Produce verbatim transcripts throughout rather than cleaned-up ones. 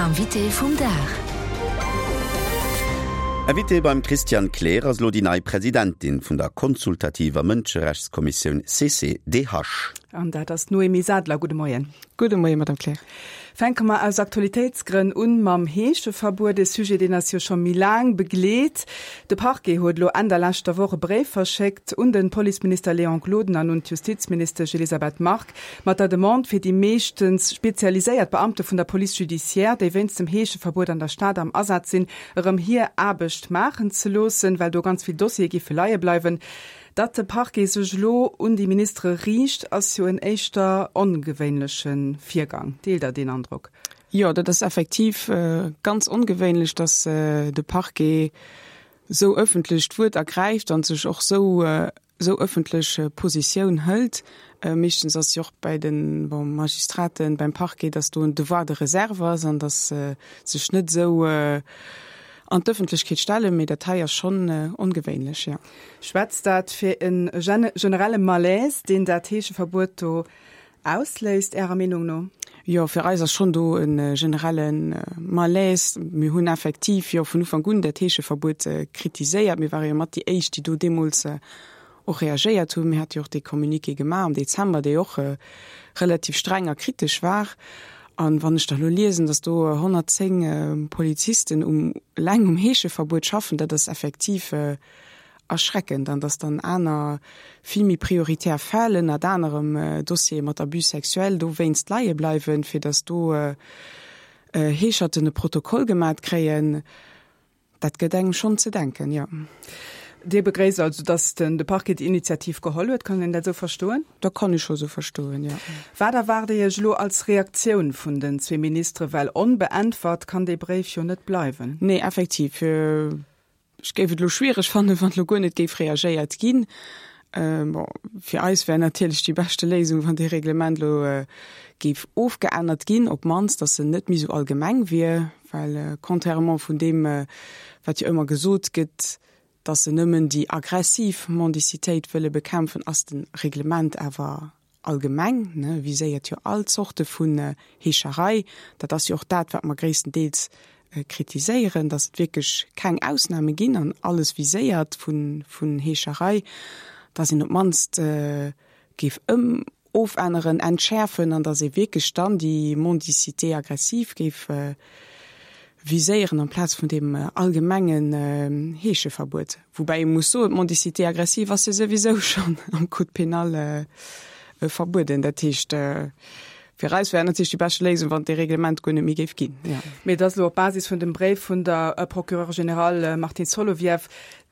L'invité vum Dag. Invité beim Christian Kleer ass lo déi nei Presidentin vun der konsultativer Mënscherechtskommissioun C C D H. An dat ass d'Noémie Sadler. Gudde Moien. Gudde Moien, Madame Kleer. Fänke mer aus Aktualitéitsgrënn un mam Heescheverbuet, de Sujet, deen eis jo scho méi laang begleet. De Parquet huet lo Enn der leschter Woch e Bréif verschéckt un de Policeminister Léon Gloden an un d'Justizministesch Elisabeth Margue mat der Demande, fir déi meeschtens spezialiséiert Beamte vun der Police judiciaire, déi wéinst dem Heescheverbuet an der Stad am Asaz sinn, erëm hir Aarbecht maachen ze loossen, well do ganz vill Dossiere géife leie bleiwen. Datt de Parquet sech lo un déi Ministere riicht, ass jo en éischter ongewéinleche Virgang. Deelt Der deen Androck? Jo, dat ass effektiv äh, ganz ongewéinlech, dass äh, de Parquet sou ëffentlech d'Wuert ergräift an sech och sou äh, sou ëffentlech äh, Positioun hëlt. Äh, meeschtens ass jo och bei den bon, Magistraten beim Parquet, dass do en Devoir de réserve ass an dass äh, sech net sou äh, an d'Ëffentlechkeet stellen, mee dat hei ass schonn äh, ongewéinlech, ja. Schwätzt dat fir e generelle Malaise, deen dat Heescheverbuet do ausléist, Ärer Meenung no? Jo, fir eis ass schonn do en äh, generellen äh, Malaise. Mir hunn effektiv jo vun Ufank un dat Heescheverbuet äh, kritiséiert. Mir ware jo mat déi éischt, déi do deemools äh, och reagéiert hunn. Mir hate jo och de Communiqué gemaach am Dezember, dee och äh, relativ streng a kritesch war. An wann ech da lo liesen, dass do honnertzéng äh, Polizisten um eleng um Heescheverbuet schaffen, dat ass effektiv äh, erschreckend, an dass dann aner vill méi prioritär Fäll, ënnert anerem äh, Dossiere mat Abus sexuel dowéinst leie bleiwen, fir dass do äh, äh, Heescherten e Protokoll gemaach kréien, dat gëtt engem schonn ze denken, ja. Dir begréisst also, dass den de Parquet d'Initiativ geholl huet, kann een dat sou verstoen? Dat kann ech scho sou verstoen, ja. Wat erwaart Dir Iech lo als Reaktioun vun den zwee Ministere, well onbeäntwert kann dee Bréif jo net bleiwen? Nee, effektiv. Äh, ech géif et lo schwiereg fannen, wann lo guer net géif reagéiert ginn. Äh, bon, fir eis wär natierlech déi beschte Léisung, wann de Reglement lo äh, géif ofgeännert ginn, op d'mannst, dass en net méi sou allgemeng wier, well äh, contrairement vun deem, äh, wat jo ëmmer gesot gëtt, dass se nëmmen déi aggressiv Mendicitéit wëlle bekämpfen, ass de Reglement awer allgemeng, ne, viséiert jo all Zorte vun äh, Heescherei. Dat ass jo och dat, wat mer gréisstendeels äh, kritiséieren, dass et wierklech keng Ausname ginn an alles viséiert vun, vun Heescherei, dass een op d'mannst äh, géif ëm ofänneren, entschäerfen an dass ee wierklech dann déi Mendicité aggressive géif äh, viséieren amplaz vun deem äh, allgemengen äh, Heescheverbuet. Woubäi ee muss soen, d'Mendicité aggressive ass jo souwisou schonn am Code pénal äh, äh, verbueden. Dat heescht äh, fir eis wär natierlech déi bescht Léisung, wann de Reglement guer net méi géif ginn. Ja. Mee dat lo op Basis vun dem Bréif vun der äh, Procureure générale äh, Martine Solovieff,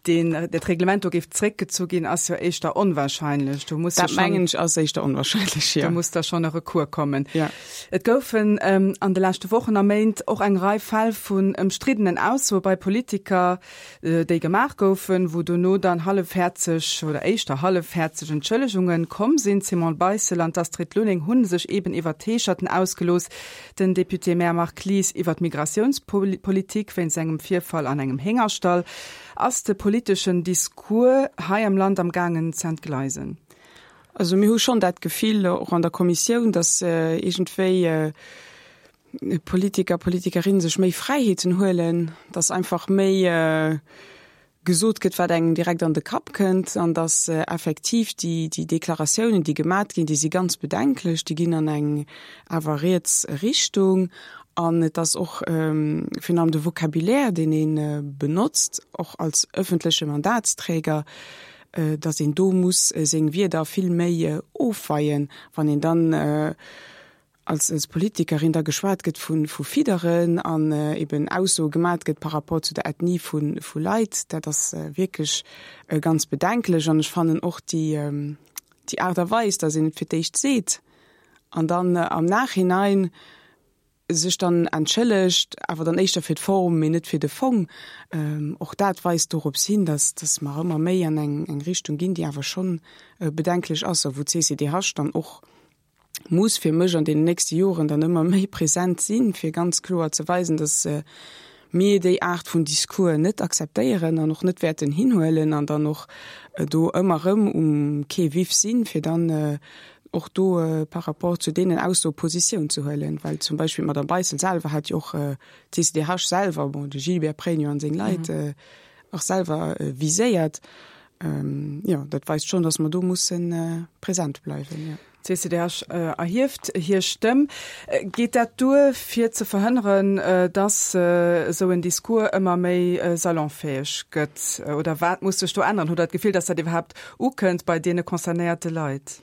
deen dat Reglement do géif zréckgezu ginn, ass jo éischter onwahrscheinlech. Do muss Dat jo schonn mengen ech ass éischter onwahrscheinlech, ja. Do muss da schonn e Recours kommen. Ja. Et goufen ähm, an de leschte Wochen a Méint och eng Rei Fäll vun ëmstriddenen Aussoe bei Politiker, äh, déi gemaach goufen, wou dono dann hallefhäerzeg oder éischter hallefhäerzeg Entschëllegunge komm sinn. D'Simone Beissel an d'Astrid Lulling hunn sech eben iwwer d'Heescherten ausgelooss. Den Député-Maire Marc Lies iwwer d'Migratiounspolitik wéinst engem Virfall an engem Héngerstall. Ass de politeschen Discours hei am Land am gaangen ze entgleisen? Also mir hu schonn dat Gefill och an der Kommissioun, dass äh, iergendwéi äh, Politiker, Politikerinne sech méi Fräiheeten huelen, dass einfach méi äh, gesot gëtt, wat engem direkt an de Kapp kënnt an dass äh, effektiv déi déi Deklaratiounen, déi gemaach ginn, déi si ganz bedenklech, déi ginn an eng awer riets Richtung an et ass och ähm, virun allem de Vocabulaire, deen een äh, benotzt, och als ëffentleche Mandatsträger, äh, dass een do muss äh, seng Wierder vill méi äh, ofweien, wann een dann äh, als, als Politikerin da geschwat gëtt vun vu Fidderen an äh, eben Aussoe gemaach gëtt par rapport zu der Ethnie vun vu Leit, dat ass äh, wierklech äh, ganz bedenklech an ech fannen och déi ähm, déi Aart a Weis, dass een et fir d'éischt seet an dann äh, am Nachhinein sech dann entschëllegt, awer dann éischter fir d'Form, mee net fir de Fong. Ähm, och dat weist dorops hin, dass dass mer ëmmer méi an eng eng Richtung ginn, déi awer schonn äh, bedenklech ass, wou d'C C D H dann och muss fir mech an den nächste Joren dann ëmmer méi present sinn, fir ganz kloer ze weisen, dass äh, mir déi Aart vun Discours net akzeptéieren an och net wäerten hinhuelen an dann och äh, do ëmmer rëm um Quai vif sinn, fir dann äh, och do par rapport zu deenen Aussoe Positioun ze huelen, well zum Beispill d'Madame Beissel selwer hat jo och d'CCDH selwer, bon, de Gilbert Pregno an seng Leit och selwer viséiert. Jo, dat weist schonn, datt mer do musse present bleiwen, jo. D'CCDH erhieft hir Stëmm. Geet dat duer, fir ze verhënneren, datt esou en Discours ëmmer méi salonfäeg gëtt? Oder wat muss sech do änneren? Hutt Der d'Gefill, datt dat iwwerhaapt ukënnt bei deene concernéierte Leit?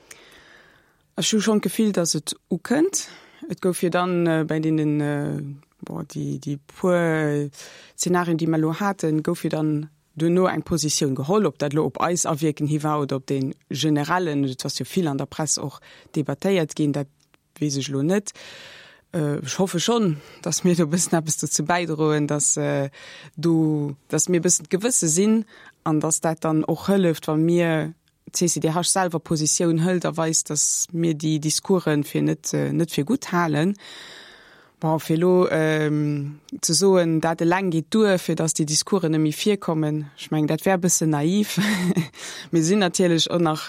Ech hu schonn d'Gefill, datt et ukënnt. Et gouf jo dann bei deenen, bon, déi, déi puer Zenarien, déi mer elo haten, gouf jo dann duerno eng Positioun geholl, ob dat elo op eis Awierken hi war oder op dee generellen, et ass jo vill an der Press och debattéiert ginn, dat weess ech elo net. Ech hoffe schonn, datt mir do e bëssen eppes dozou bäidroen, datt do, datt mir e bëssen d'Gewësse sinn an datt dat dann och hëlleft, wa mir d'CCDH selwer Positioun hëlt a weist, datt mir déi Discoursen fir net, net fir gutt halen. Bon, fir elo ze soen, dat eleng geet duer, fir datt déi Discoursen net méi virkommen, ech mengen, dat wär e bëssen naiv. Mir sinn natierlech och nach,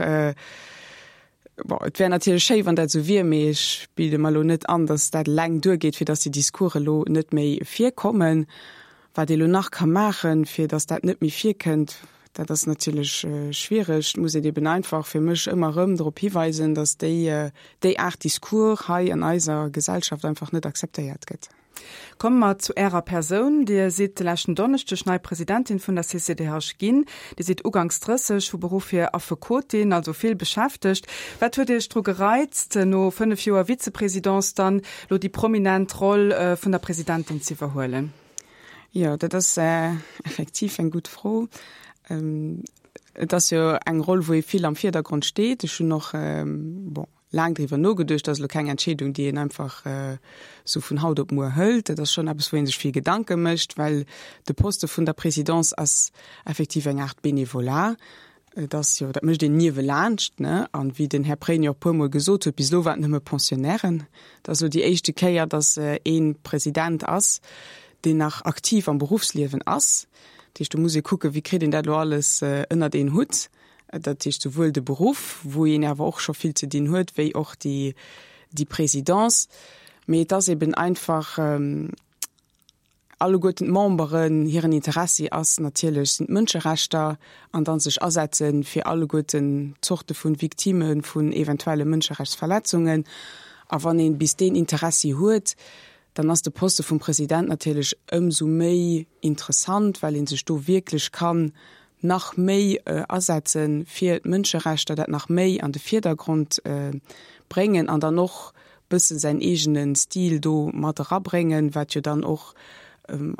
bon, et wär natierlech schéi, wann dat esou wier, mee ech bilde mer elo net an, datt dat eleng duergeet, fir datt déi Discoursen elo net méi virkommen. Wat ee elo nach ka maachen, fir datt dat net méi virkënnt, dat ass natierlech schwiereg. Et muss een eben einfach fir mech ëmmer erëm drop hiweisen, datt déi, déi Aart Discours hei an eiser Gesellschaft einfach net akzeptéiert gëtt. Komme mer zu Ärer Persoun. Dir sidd de leschten Donneschdeg nei Presidentin vun der CCDH ginn. Dir sidd uganks drësseg, vu Beruff hier Affekotin, also vill beschäftegt. Wat huet Iech dru gereizt, no fënnef Joer Vize-Présidence dann elo déi prominent Roll vun der Presidentin z'iwwerhuelen? Jo, dat ass effektiv eng gutt Fro. Et ass jo eng Roll, wou ee vill am Virdergrond steet. Ech hunn och, bon, laang driwwer nogeduecht. Dat ass elo keng Entscheedung, déi een einfach esou vun haut op muer hëlt. Dat ass schonn eppes, wou ee sech vill Gedanke mécht, well de Poste vun der Présidence ass effektiv eng Aart Bénévolat. Et ass jo, dat mécht een niewelaanscht, ne? An wéi den Här Pregno och e puermol gesot huet, bis elo waren et nëmme Pensionnairen. Et ass elo déi éischte Kéier, datt ee President ass, deen nach aktiv am Beruffsliewen ass. Dat heescht, do muss ee kucken, wéi kritt een dat elo alles ënnert een Hutt. Dat heescht souwuel de Beruff, wou een awer och scho vill ze dinn huet, wéi och déi, déi Présidence. Mee et ass eben einfach, alleguerten d'Memberen hiren Interessi ass natierlech sinn d'Mënscherechter an dann sech asetze fir alleguerten Zorte vu Victimë vun eventuelle Mënscherechtsverletzungen. A wann ee bis deen Interessi huet, dann ass de Poste vum President natierlech ëmsou méi interessant, well ee sech do wierklech kann nach méi asetze fir d'Mënscherechter, dat nach méi an de Virdergrond bréngen an dann och bësse säin eegene Stil do mat erabréngen, wat jo dann och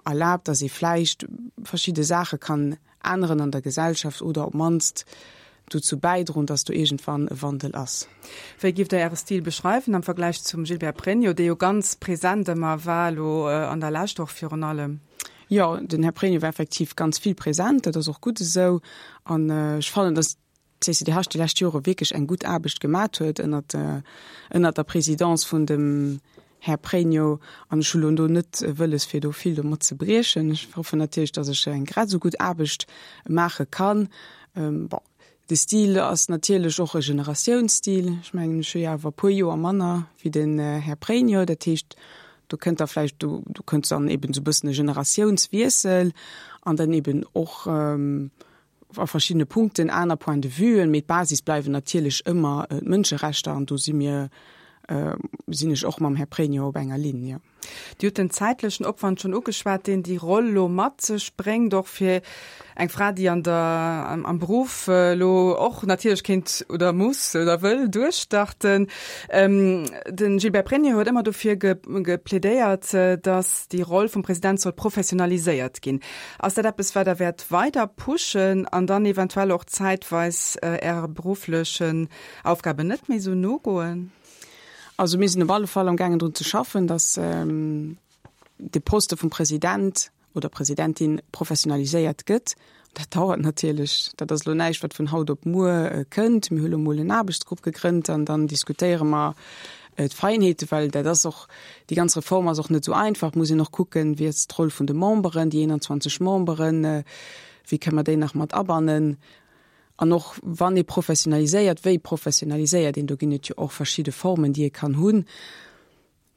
erlaabt, datt ee vläicht verschidde Saache kann änneren an der Gesellschaft oder op d'mannst dozou bäidroen, datt do iergendwann e Wandel ass. Wéi giff Der Äre Stil beschreiwen am Vergläich zum Gilbert Pregno, dee jo ganz present ëmmer war, elo an der Lescht och virun allem? Jo, den Här Pregno war effektiv ganz vill present, dat ass och gutt esou. An ech fannen, datt d'CCDH déi lescht Jore wierklech eng gutt Aarbecht gemat huet ënnert, ënnert der Présidence vun dem Här Pregno. An ech hu lo do net wëlles, fir do vill domat ze briechen. Ech hoffen natierlech, datt ech eng grad esou gutt Aarbecht maache kann. Bon, de Stil ass natierlech och e Generatiounsstil. Ech mengen, ech hu jo awer e puer Joer manner wéi den Här Pregno. Dat heescht, do kënnt da vläicht, do kënnt dann eben esou e bëssen e Generatiounswiessel an dann eben och, a verschiddene Punkten aner Point de vuen, mee d'Basis bleiwen natierlech ëmmer d'Mënscherechter an do si mir, sinn ech och mam Här Pregno op enger Linn, jo. Dir hutt den zäitlechen Opwand schonn ugeschwat, deen déi Roll elo mat sech bréngt, och fir eng Fra, déi an der, am Beruff elo och natierlech kéint oder muss oder wëll duerchstarten. De Gilbert Pregno huet ëmmer dofir geplädéiert, datt déi Roll vum President soll professionaliséiert ginn. Ass dat eppes, wat Der wäert weider pushen an dann eventuell och zäitweis Äre berufflechen Aufgaben net méi esou nogoen? Also mir sinn op alle Fall amgaangen drun ze schaffen, datt de Poste vum President oder Presidentin professionaliséiert gëtt. Dat dauert natierlech. Dat ass elo näischt, wat vun haut op muer kënnt. Mir hu lo mol en Aarbechtsgrupp gegrënnt an dann diskutéiere mer d'Feinheete, well dat ass och, déi ganz Reform ass och net esou einfach. Et muss een och kucken, wéi ass d'Roll vun de Memberen, déi eenanzwanzeg Memberen, wéi kënne mer déi nach mat abannen. An och wann ee professionaliséiert, wéi professionaliséiert een? Do ginn et jo och verschidde Formen, déi ee kann hunn.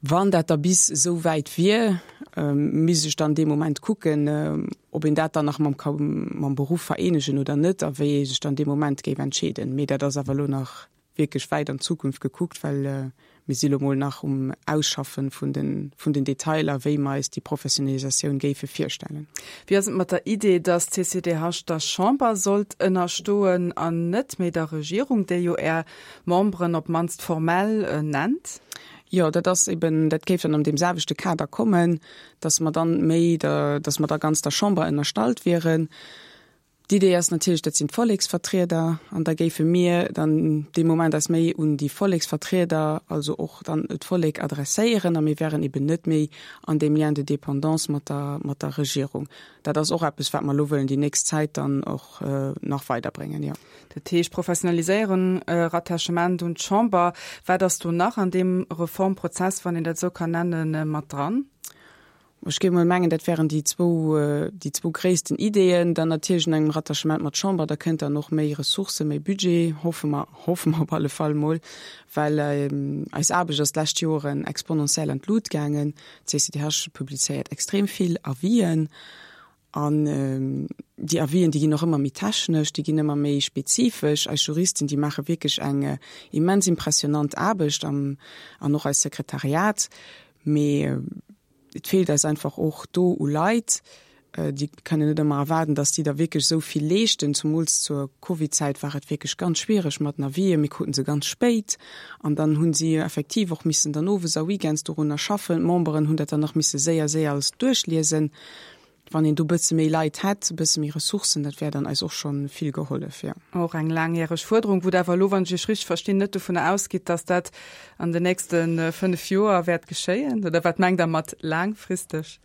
Wann dat da bis esou wäit wier, misst ech dann dee Moment kucken, ob een dat dann nach mam mam Beruff vereenegen oder net a wéi ee sech dann dee Moment géif entscheeden. Mee dat ass awer elo nach wierklech wäit an d'Zukunft gekuckt, well mir si lo mol nach um Ausschaffen vun den, vun den Detailer, wéi mer eis déi Professionalisatioun géife virstellen. Wéi ass et mat der Idee, dass d'CCDH der Chamber sollt ënnerstoen an net méi der Regierung, déi jo Är Memberen op d'mannst formell nennt? Jo, dat ass eben, dat géif dann an deem selwechte Kader kommen, dass mer dann méi der, dass mer da ganz der Chamber ënnerstallt wieren. D'Idee ass natierlech, dat sinn d'Volleksvertrieder, an da géife mir dann dee Moment eis méi un déi Volleksvertrieder, also och dann d'Vollek adresséieren, a mir wären eben net méi an deem Lien de dépendance mat der, mat der Regierung. Dat ass och eppes, wat mer elo wëllen déi nächst Zäit dann och nach weiderbréngen, jo. Dat heescht Professionaliséierung, Rattachement un d'Chamber. Wat ass do nach an deem Reformprozess, wann een dat esou kann nennen, mat dran? Ech géif emol mengen, dat wären déi zwou, déi zwou gréissten Ideeën. Dann natierlech un engem Rattachement mat Chamber, da kënnt dann och méi Ressourcen, méi Budget, hoffe mer, hoffe mer op alle Fall emol, well eis Aarbecht ass d'lescht Joren exponentiell an d'Lut gaangen. D'CCDH publizéiert extrem vill Avisen an déi Avisen, déi ginn och ëmmer méi technesch, déi ginn ëmmer méi spezifesch. Eis Juristen, déi maache wierklech eng immens impressionant Aarbecht an och eist Sekretariat. Mee et feelt eis einfach och do u Leit. Déi kënnen net ëmmer erwaarden, datt déi da wierklech esou vill leeschten. Zumools zur Covid-Zäit war et wierklech ganz schwiereg mat den Avisen. Mir kruten se ganz spéit an dann hu si effektiv och missen dann owes a weekends dorunner schaffen. D'Memberen hunn dat dann nach misse séier, séier alles duerchliesen. Wann een do e bësse méi Leit hätt, e bësse méi Ressourcen, dat wär dann eis och scho vill gehollef, jo. Och eng laangjäreg Fuerderung, wou Der awer elo, wann ech Iech richteg verstinn, net dovunner ausgitt, datt dat an den nächste fënnef Joer wäert geschéien? Oder wat mengt Der mat laangfristeg,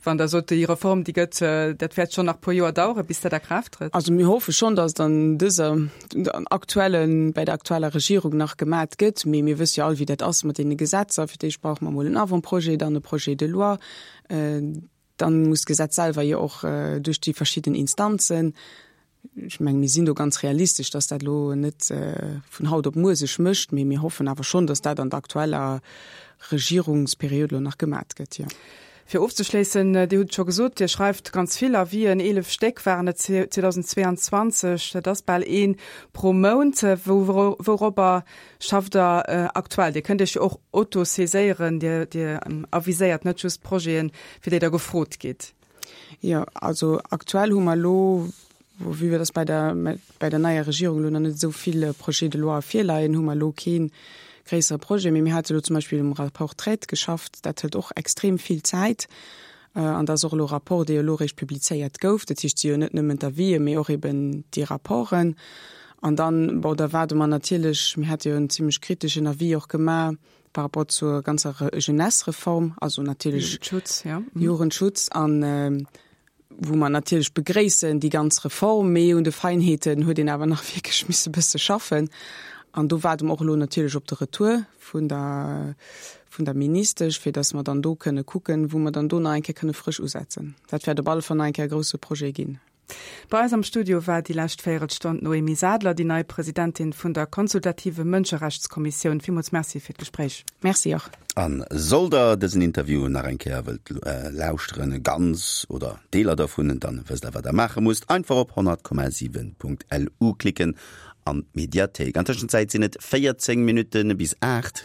wann Der sot, déi Reform, déi gëtt, dat wäert schonn nach e puer Joer daueren, bis dat a Kraaft trëtt? Also mir hoffe schonn, datt et an dëser aktuellen, bei der aktueller Regierung nach gemat gëtt. Mee mir wësse jo all, wéi dat ass mat deene Gesetzer. Fir d'éischt brauche mer emol en Avant-projet, dann e Projet de loi. Dann muss d'Gesetz selwer jo och duerch déi verschidden Instanzen. Ech mengen, mir sinn do ganz realistesch, dass dat elo net vun haut op muer sech mécht, mee mir hoffen awer schonn, dass dat an der aktueller Regierungsperiod elo nach gemat gëtt, jo. Fir ofzeschléissen, Dir hutt et scho gesot, Dir schreift ganz vill Avisen, eelef Stéck waren et zweetausendzweeanzwanzeg, dat ass bal ee pro Mount. Wouropper schafft Der aktuell? Dir kënnt Iech jo och autosaiséieren, Dir, Dir aviséiert net just Projeten, fir déi Der gefrot gitt. Jo, also aktuell hu mer elo, vue dass bei der, bei der neier Regierung elo nach net esou vill Projets de loi virleien, hu mer elo kee gréissere Projet. Mee mir hate elo zum Beispill um Rapport Traite geschafft, dat hëlt och extrem vill Zäit. An dat ass och elo e Rapport, dee jo elo eréischt publizéiert gouf. Dat heescht, et si jo net nëmmen d'Avisen, mee och eben déi Rapporten. An dann, bon, da waarde mer natierlech, mir hate jo en zimlech kriteschen Avis och gemaach par rapport zur ganzer Jeunesse-Reform, also natierlech Jugendschutz, jo. Jugendschutz, an wou mer natierlech begréissen déi ganz Reform, mee un de Feinheeten huet een awer nach wierklech misse bësse schaffen. An do waarde mer och elo natierlech op de Retour vun der, vun der Ministesch, fir dass mer dann do kënne kucken, wou mer dann do nach eng Kéier kënne frësch usetzen. Dat wäert op alle Fall nach eng Kéier e grouse Projet ginn. Bei eis am Studio war déi lescht Véierelstonn d'Noémie Sadler, déi nei Presidentin vun der Consultative Mënscherechtskommissioun. Villmools Merci fir d'Gespréich. Merci och. A sollt der dësen Interview nach eng Kéier wëllt lauschteren, ganz oder Deeler dovun, dann wësst der wat der maache musst, einfach op honnert Komma siwen Punkt lu klicken an d'Mediathéik. An Tëschenzäit sinn et véierzéng Minutte bis aacht.